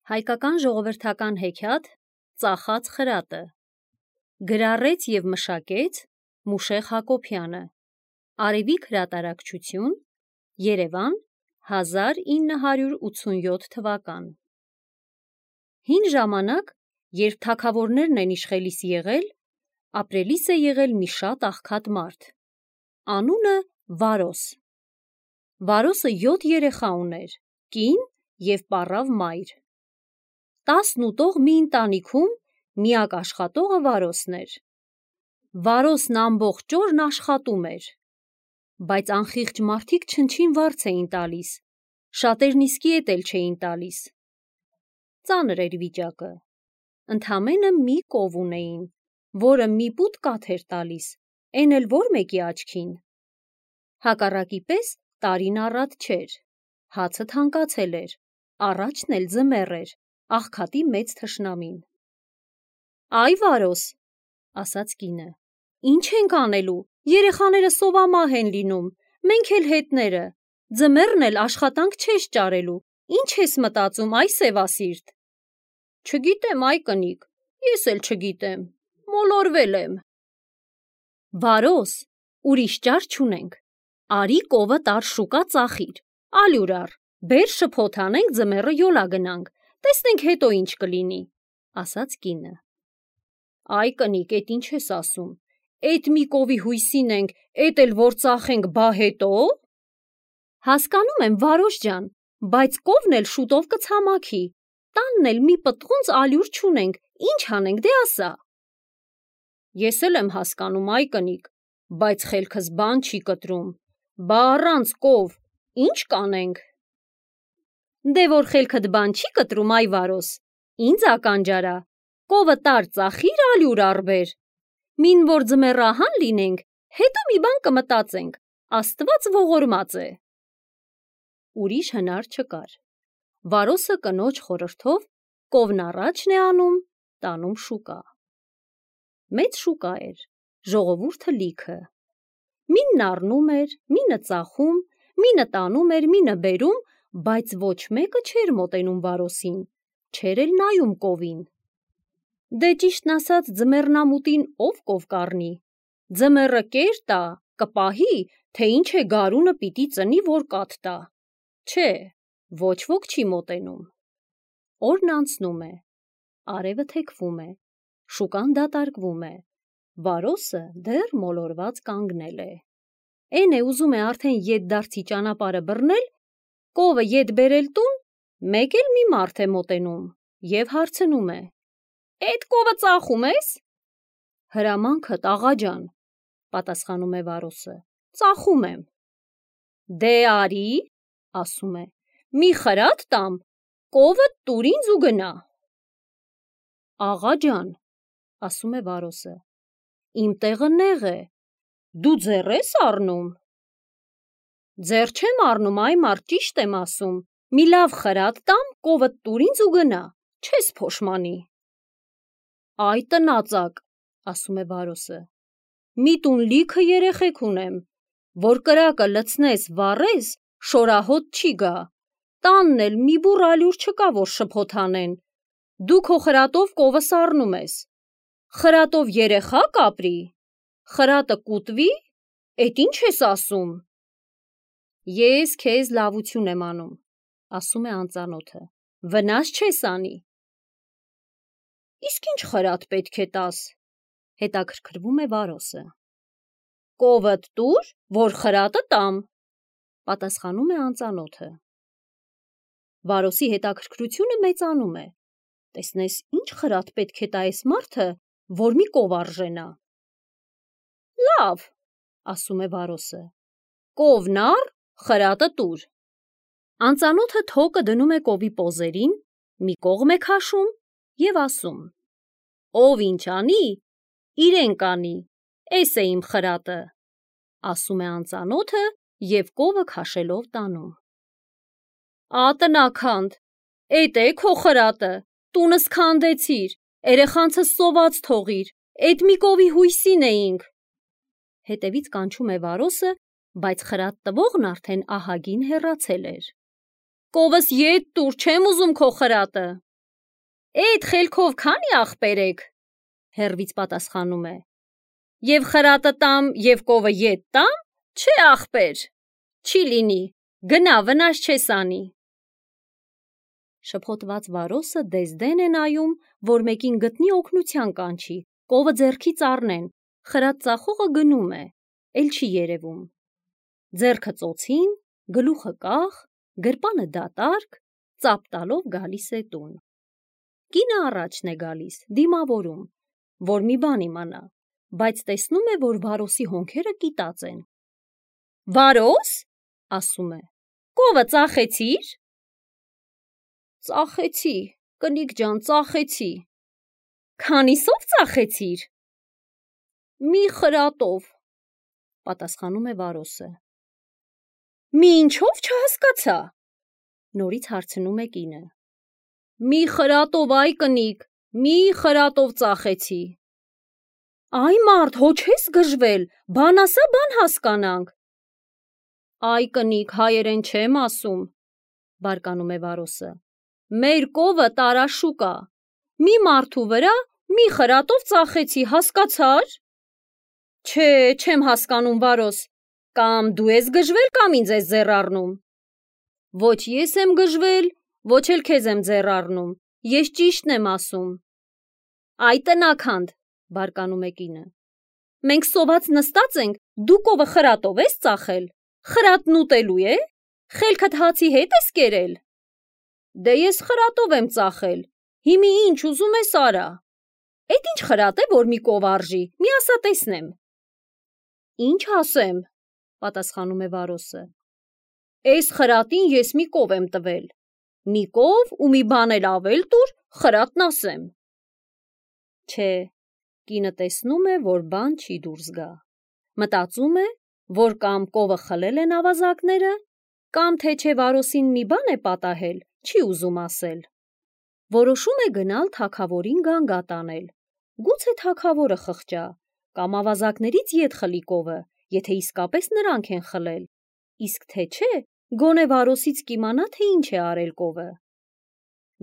Հայկական ժողովրդական հեքիաթ Ծախած խրատը գրառեց և մշակեց Մուշեղ Հակոբյանը Արևիկ հրատարակչություն Երևան 1987 թվական Հին ժամանակ, երբ թագավորներն են իշխելիս եղել, ապրելիս է եղել մի շատ աղքատ մարդ, անունը Վարոս։ Վարոսը 7 երեխա ուներ, կին և պառավ մայր։ 10 ուտող մի ընտանիքում միակ աշխատողը Վարոսն էր։ Վարոսն ամբողջ օրն աշխատում էր, բայց անխիղճ մարդիկ չնչին վարձ էին տալիս, շատերն իսկի ետ էլ չէին տալիս։ Ծանր էր վիճակը, ընդամենը մի կով ունեին, որը մի պուտ կաթ էր տալիս, էն էլ որ մեկի աչքին։ Հակառակի պես տարին առատ չէր, հացը թանկացել էր, առաջն էլ ձմեռ էր, աղքատի մեծ թշնամին։ Այ Վարոս, ասաց կինը, ինչ ենք անելու, երեխաները սովամահ են լինում, մենք էլ հետները, ձմեռն էլ աշխատանք չես ճարելու, ինչ ես մտածում, այ սևասիրտ։ Չգիտեմ, այ կնիկ, ես էլ չգիտեմ, մոլորվել եմ։ Վարոս, ուրիշ ճար չունենք, արի կովը տար շուկա ծախիր, ալյուր առ, բեր շփոթ անենք ձմեռը յոլա գնանք, տեսնենք հետո ինչ կլինի, ասաց կինը։ Այ կնիկ, էդ ինչ ես ասում, էդ մի կովի հույսին ենք, էդ էլ որ ծախենք, բա հետո։ Հասկանում եմ, Վարոս ջան, բայց կովն էլ շուտով կցամաքի, տանն էլ մի պտղունց ալյուր չունենք, ինչ անենք, դե ասա։ Ես էլ եմ հասկանում, այ կնիկ, բայց խելքս բան չի կտրում, բա առանց կով, ինչ կանենք։ Դե որ խելքդ բան չի կտրում, այ Վարոս, ինձ ականջարա, կովը տար ծախիր ալյուր առ բեր, մին որ ձմեռահան լինենք, հետո մի բան կմտածենք, Աստված ողորմած է։ Ուրիշ հնար չկար, Վարոսը կնոջ խորհրդով կովն առաջն է անում, տանում շուկա։ Մեծ շուկա էր, ժողովուրդը լիքը, մինն առնում էր, մինը ծախում, մինը տանում էր, մինը բերում, բայց ոչ մեկը չէր մոտենում Վարոսին, չէր էլ նայում կովին։ Դե ճիշտն ասած ձմեռնամուտին ով կով կառնի, ձմեռը կեր տա, կպահի, թե ինչ է գարունը պիտի ծնի, որ կաթ տա, չէ, ոչ ոք չի մոտենում։ Օրն անցնում է, արևը թեքվում է, շուկան դատարկվում է, Վարոսը դեռ մոլորված կանգնել է։ Էն է ուզում է արդեն ետդարձի ճանապարհը բռնել, կովը ետ բերել տուն, մեկ էլ մի մարդ է մոտենում և հարցնում է. Էդ կովը ծախում ես։ Հրամանքդ, աղա ջան, պատասխանում է Վարոսը, ծախում եմ։ Դե արի, ասում է, մի խրատ տամ, կովը տուր ինձ ու գնա։ Աղա ջան, ասում է Վարոսը, իմ տեղը նեղ է, դու ձեռ ես առնում։ Ձեռ չեմ առնում, այ մարդ, ճիշտ եմ ասում, մի լավ խրատ տամ, կովը տուր ինձ ու գնա, չես փոշմանի։ Այ տնածակ, ասում է Վարոսը, մի տուն լիքը երեխեք ունեմ, որ կրակը լցնես, վառես, շորահոտ չի գա, տանն էլ մի բուռ ալյուր չկա, որ շփոթ անեն, դու քո խրատով կովս առնում ես, խրատով երեխա կապրի, խրատը կուտվի, էդ ինչ ես ասում։ Ես քեզ լավություն եմ անում, ասում է անծանոթը, վնաս չես անի։ Իսկ ինչ խրատ պետք է տաս, հետաքրքրվում է Վարոսը։ Կովդ տուր, որ խրատը տամ, պատասխանում է անծանոթը։ Վարոսի հետաքրքրությունը մեծանում է, տեսնես ինչ խրատ պետք է տա էս մարդը, որ մի կով արժենա։ Լավ, ասում է Վարոսը, կովն առ, խրատը տուր։ Անծանոթը թոկը դնում է կովի պոզերին, մի կողմ է քաշում և ասում. Ով ինչ անի, իրեն կանի, էս է իմ խրատը, ասում է անծանոթը և կովը քաշելով տանում։ Ատնաքանդ, էդ է քո խրատը, տունս քանդեցիր, երեխանցս սոված թողիր, էդ մի կովի հույսին էինք։ Հետևից կանչում է Վարոսը, բայց խրատ տվողն արդեն ահագին հեռացել էր։ Կովս ետ տուր, չեմ ուզում քո խրատը, Էդ խելքով քանի ախպեր եք, հեռվից պատասխանում է. Եվ խրատը տամ, և կովը ետ տամ, չէ ախպեր, չի լինի, գնա վնաս չես անի։ Շփոթված Վարոսը դեզդեն է նայում, որ մեկին գտնի օգնության կանչի, կովը ձեռքից առնեն, խրատ ծախողը գնում է, էլ չի երևում։ Ձեռքը ծոցին, գլուխը կախ, գրպանը դատարկ, ծափ տալով գալիս է տուն։ Կինը առաջն է գալիս, դիմավորում, որ մի բան իմանա, բայց տեսնում է, որ Վարոսի հոնքերը կիտած են։ Վարոս, ասում է, կովը ծախեցիր։ Ծախեցի, կնիկ ջան, ծախեցի։ Քանիսով ծախեցիր։ Մի խրատով, պատասխանում է Վարոսը։ Մի ինչով չհասկացա, նորից հարցնում է կինը։ Մի խրատով, այ կնիկ, մի խրատով ծախեցի։ Այ մարդ, հո չես գժվել, բան ասա, բան հասկանանք։ Այ կնիկ, հայերեն չեմ ասում, բարկանում է Վարոսը։ Մեր կովը տարաշուկ ա, մի մարդու վրա մի խրատով ծախեցի, հասկացար։ Չէ, չեմ հասկանում, Վարոս, կամ դու ես գժվել, կամ ինձ ես ձեռ առնում։ Ոչ ես եմ գժվել, ոչ էլ քեզ եմ ձեռ առնում, ես ճիշտն եմ ասում։ Այ տնաքանդ, բարկանում է կինը։ Մենք սոված նստած ենք, դու կովը խրատով ես ծախել, խրատն ուտելու է, խելքդ հացի հետ ես կերել։ Դե ես խրատով եմ ծախել, հիմի ինչ ուզում ես արա։ Էդ ինչ խրատ է, որ մի կով արժի, մի ասա տեսնեմ։ Ինչ ասեմ, պատասխանում է Վարոսը։ Էս խրատին ես մի կով եմ տվել, մի կով ու մի բան էլ ավել տուր, խրատն ասեմ։ Չէ, կինը տեսնում է, որ բան չի դուրս գա։ Մտածում է, որ կամ կովը խլել են ավազակները, կամ թե չէ Վարոսին մի բան է պատահել, չի ուզում ասել։ Որոշում է գնալ թագավորին գանգատ անել, գուցե թագավորը խղճա, կամ ավազակներից ետ խլի կովը, եթե իսկապես նրանք են խլել, իսկ թե չէ, գոնե Վարոսից կիմանա, թե ինչ է արել կովը։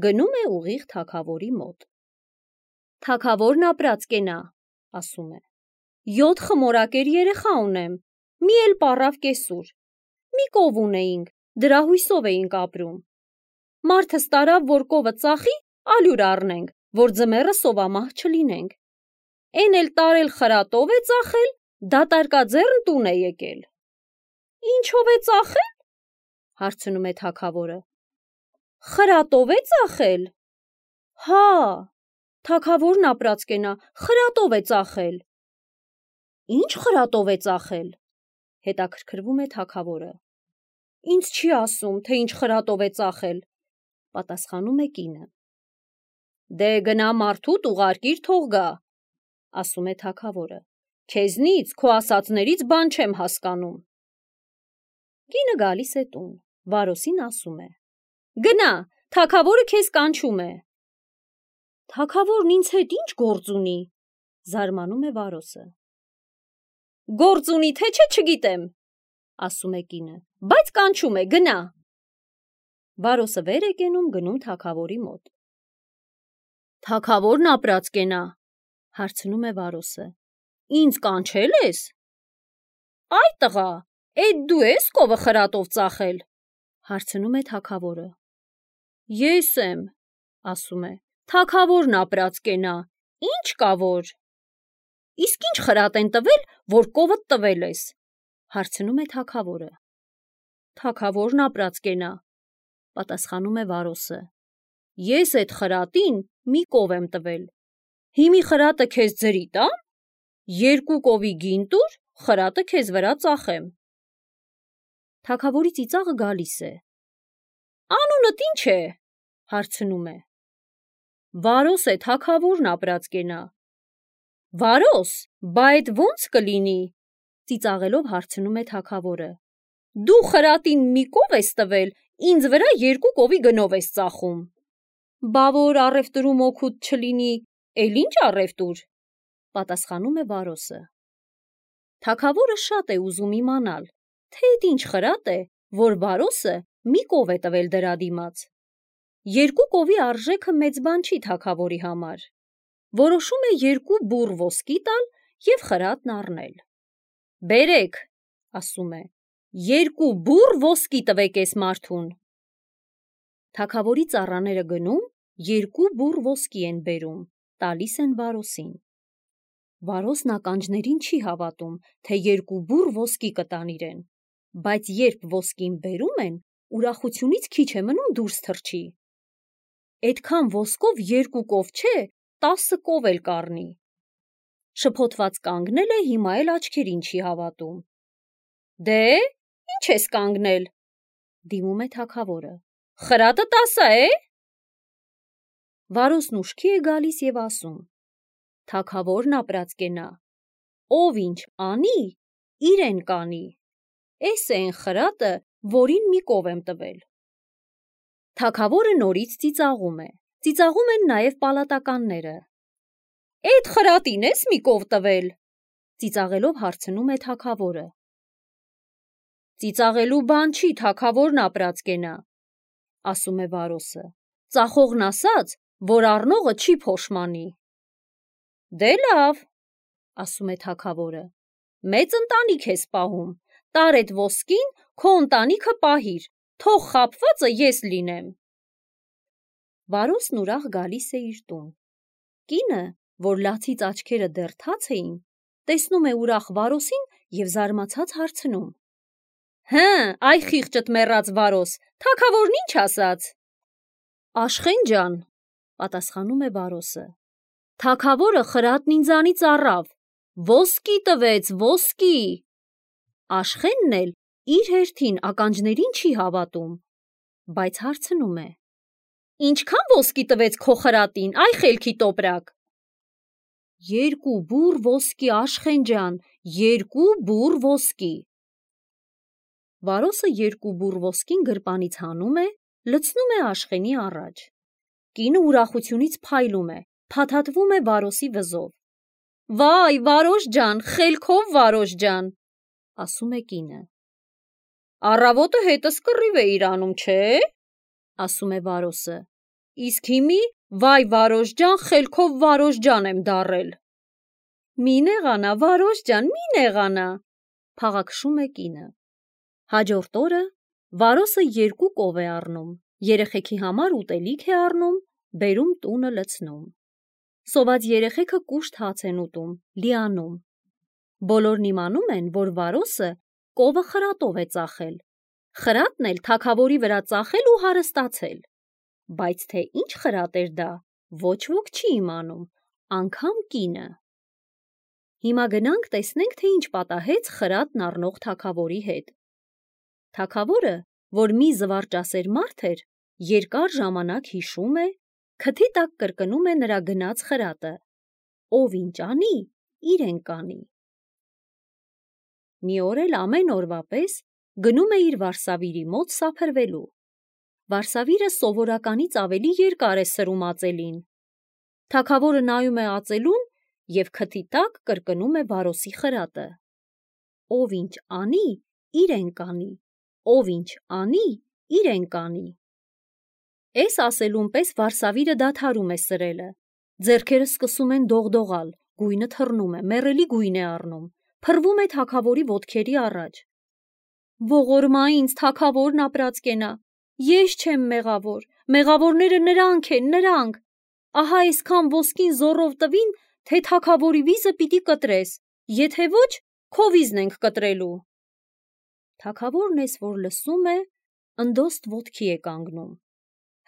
Գնում է ուղիղ թագավորի մոտ։ Թագավորն ապրած կենա, ասում է։ 7 խմորակեր երեխա ունեմ, մի էլ պառավ կեսուր, մի կով ունեինք, դրա հույսով էինք ապրում։ Մարդս տարավ, որ կովը ծախի, ալյուր առնենք, որ ձմեռը սովամահ չլինենք։ Էն էլ տարել խրատով է ծախել, դատարկաձեռն տուն է եկել։ Ինչով է ծախել, հարցնում է թագավորը։ Խրատով է ծախել։ Հա, թագավորն ապրած կենա, խրատով է ծախել։ Ինչ խրատով է ծախել, հետաքրքրվում է թագավորը։ Ինձ չի ասում, թե ինչ խրատով է ծախել, պատասխանում է կինը։ Դե գնա մարդուդ ուղարկիր թող գա, ասում է թագավորը։ Քեզնից, քո ասածներից բան չեմ հասկանում։ Կինը գալիս է տուն, Վարոսին ասում է. Գնա, թագավորը քեզ կանչում է։ Թագավորն ինձ հետ ինչ գործ ունի, զարմանում է Վարոսը։ Գործ ունի, թե չէ չգիտեմ, ասում է կինը, բայց կանչում է, գնա։ Վարոսը վեր է կենում, գնում թագավորի մոտ։ Թագավորն ապրած կենա, հարցնում է Վարոսը։ Ինձ կանչել ես։ Այ տղա, էդ դու ես կովը խրատով ծախել, հարցնում է թագավորը։ Ես եմ, ասում է, թագավորն ապրած կենա, ինչ կա որ։ Իսկ ինչ խրատ են տվել, որ կովդ տվել ես, հարցնում է թագավորը։ Թագավորն ապրած կենա, պատասխանում է Վարոսը։ Ես այդ խրատին մի կով եմ տվել։ Հիմի խրատը քեզ ձրի տամ, 2 կովի գին տուր, խրատը քեզ վրա ծախեմ։ Թագավորի ծիծաղը գալիս է։ Անունդ ինչ է, հարցնում է։ Վարոս է, թագավորն ապրած կենա։ Վարոս, բա էդ ո՞նց կլինի, ծիծաղելով հարցնում է թագավորը։ Դու խրատին մի կով ես տվել, ինձ վրա 2 կովի գնով ես ծախում։ Բա որ առևտրում օգուտ չլինի, էլ ինչ առևտուր, պատասխանում է Վարոսը։ Թագավորը շատ է ուզում իմանալ, թե էդ ինչ խրատ է, որ Վարոսը մի կով է տվել դրա դիմաց։ Երկու կովի արժեքը մեծ բան չի թագավորի համար։ Որոշում է երկու բուռ ոսկի տալ և խրատն առնել։ Բերեք, ասում է, երկու բուռ ոսկի տվեք էս մարդուն։ Թագավորի ծառաները գնում, երկու բուռ ոսկի են բերում, տալիս են Վարոսին։ Վարոսն ականջներին չի հավատում, թե երկու բուռ ոսկի կտան իրեն, բայց երբ ոսկին բերում են, ուրախությունից քիչ է մնում դուրս թռչի։ Էդքան ոսկով երկու կով չէ, 10 կով էլ կառնի։ Շփոթված կանգնել է, հիմա էլ աչքերին չի հավատում։ Դե, ինչ ես կանգնել, դիմում է թագավորը, խրատը 10 է։ Վարոսն ուշքի է գալիս և ասում. թագավորն ապրած կենա, ով ինչ անի, իրեն կանի, էս է են խրատը, որին մի կով եմ տվել։ Թագավորը նորից ծիծաղում է, ծիծաղում են նաև պալատականները։ Էդ խրատին ես մի կով տվել, ծիծաղելով հարցնում է թագավորը։ Ծիծաղելու բան չի, թագավորն ապրած կենա, ասում է Վարոսը, ծախողն ասաց, որ առնողը չի փոշմանի։ Դե լավ, ասում է թագավորը, մեծ ընտանիք ես պահում, տար էդ ոսկին, քո ընտանիքը պահիր, թող խաբվածը ես լինեմ։ Վարոսն ուրախ գալիս է իր տուն։ Կինը, որ լացից աչքերը դեռ թաց էին, տեսնում է ուրախ Վարոսին և զարմացած հարցնում. Հը, այ խիղճդ մեռած Վարոս, թագավորն ինչ ասաց։ Աշխեն ջան, պատասխանում է Վարոսը, թագավորը խրատն ինձանից առավ, ոսկի տվեց, ոսկի։ Աշխենն էլ իր հերթին ականջներին չի հավատում, բայց հարցնում է. Ինչքան ոսկի տվեց քո խրատին, այ խելքի տոպրակ։ Երկու բուռ ոսկի, Աշխեն ջան, երկու բուռ ոսկի։ Վարոսը երկու բուռ ոսկին գրպանից հանում է, լցնում է Աշխենի առաջ։ Կինը ուրախությունից փայլում է, փաթաթվում է Վարոսի վզով։ Վայ, Վարոս ջան, խելքով Վարոս ջան, ասում է կինը։ Առավոտը հետս կռիվ էիր անում, չէ, ասում է Վարոսը, իսկ հիմի վայ Վարոս ջան, խելքով Վարոս ջան եմ դառել։ Մի նեղանա, Վարոս ջան, մի նեղանա, փաղաքշում է կինը։ Հաջորդ օրը Վարոսը երկու կով է առնում, երեխեքի համար ուտելիք է առնում, բերում տունը լցնում։ Սոված երեխեքը կուշտ հաց են ուտում, լիանում։ Բոլորն իմանում են, որ Վարոսը կովը խրատով է ծախել, խրատն էլ թագավորի վրա ծախել ու հարստացել։ Բայց թե ինչ խրատ էր դա, ոչ ոք չի իմանում, անգամ կինը։ Հիմա գնանք տեսնենք, թե ինչ պատահեց խրատն առնող թագավորի հետ։ Թագավորը, որ մի զվարճասեր մարդ էր, երկար ժամանակ հիշում է, քթի տակ կրկնում է նրա գնած խրատը, ով ինչ անի, իրեն կանի։ Մի օր էլ ամեն օրվա պես գնում է իր վարսավիրի մոտ սափրվելու։ Վարսավիրը սովորականից ավելի երկար է սրում ածելին։ Թագավորը նայում է ածելուն և քթի տակ կրկնում է Վարոսի խրատը. ով ինչ անի, իրեն կանի, ով ինչ անի, իրեն կանի։ Էս ասելուն պես վարսավիրը դադարում է սրելը, ձեռքերը սկսում են դողդողալ, գույնը թռնում է, մեռելի գույն է առնում, փռվում է թագավորի ոտքերի առաջ։ Ողորմա ինձ, թագավորն ապրած կենա, ես չեմ մեղավոր, մեղավորները նրանք են, նրանք։ Ահա այսքան ոսկին զոռով տվին, թե թագավորի վիզը պիտի կտրես, եթե ոչ, քո վիզն ենք կտրելու։ Թագավորն էս որ լսում է, ընդոստ ոտքի է կանգնում,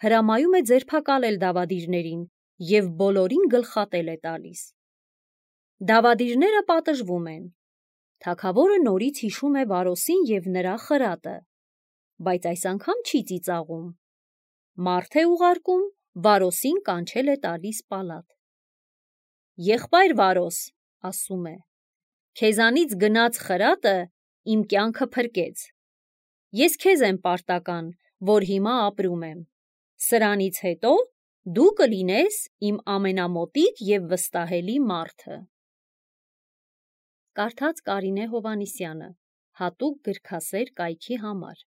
հրամայում է ձերբակալել դավադիրներին և բոլորին գլխատել է տալիս։ Դավադիրները պատժվում են։ Թագավորը նորից հիշում է Վարոսին և նրա խրատը, բայց այս անգամ չի ծիծաղում։ Մարդ է ուղարկում, Վարոսին կանչել է տալիս պալատ։ Եղբայր Վարոս, ասում է, քեզանից գնած խրատը իմ կյանքը փրկեց։ Ես քեզ եմ պարտական, որ հիմա ապրում եմ։ Սրանից հետո դու կլինես իմ ամենամոտիկ և վստահելի մարդը։ Կարդաց Կարինե Հովհաննիսյանը, հատուկ գրքասեր կայքի համար։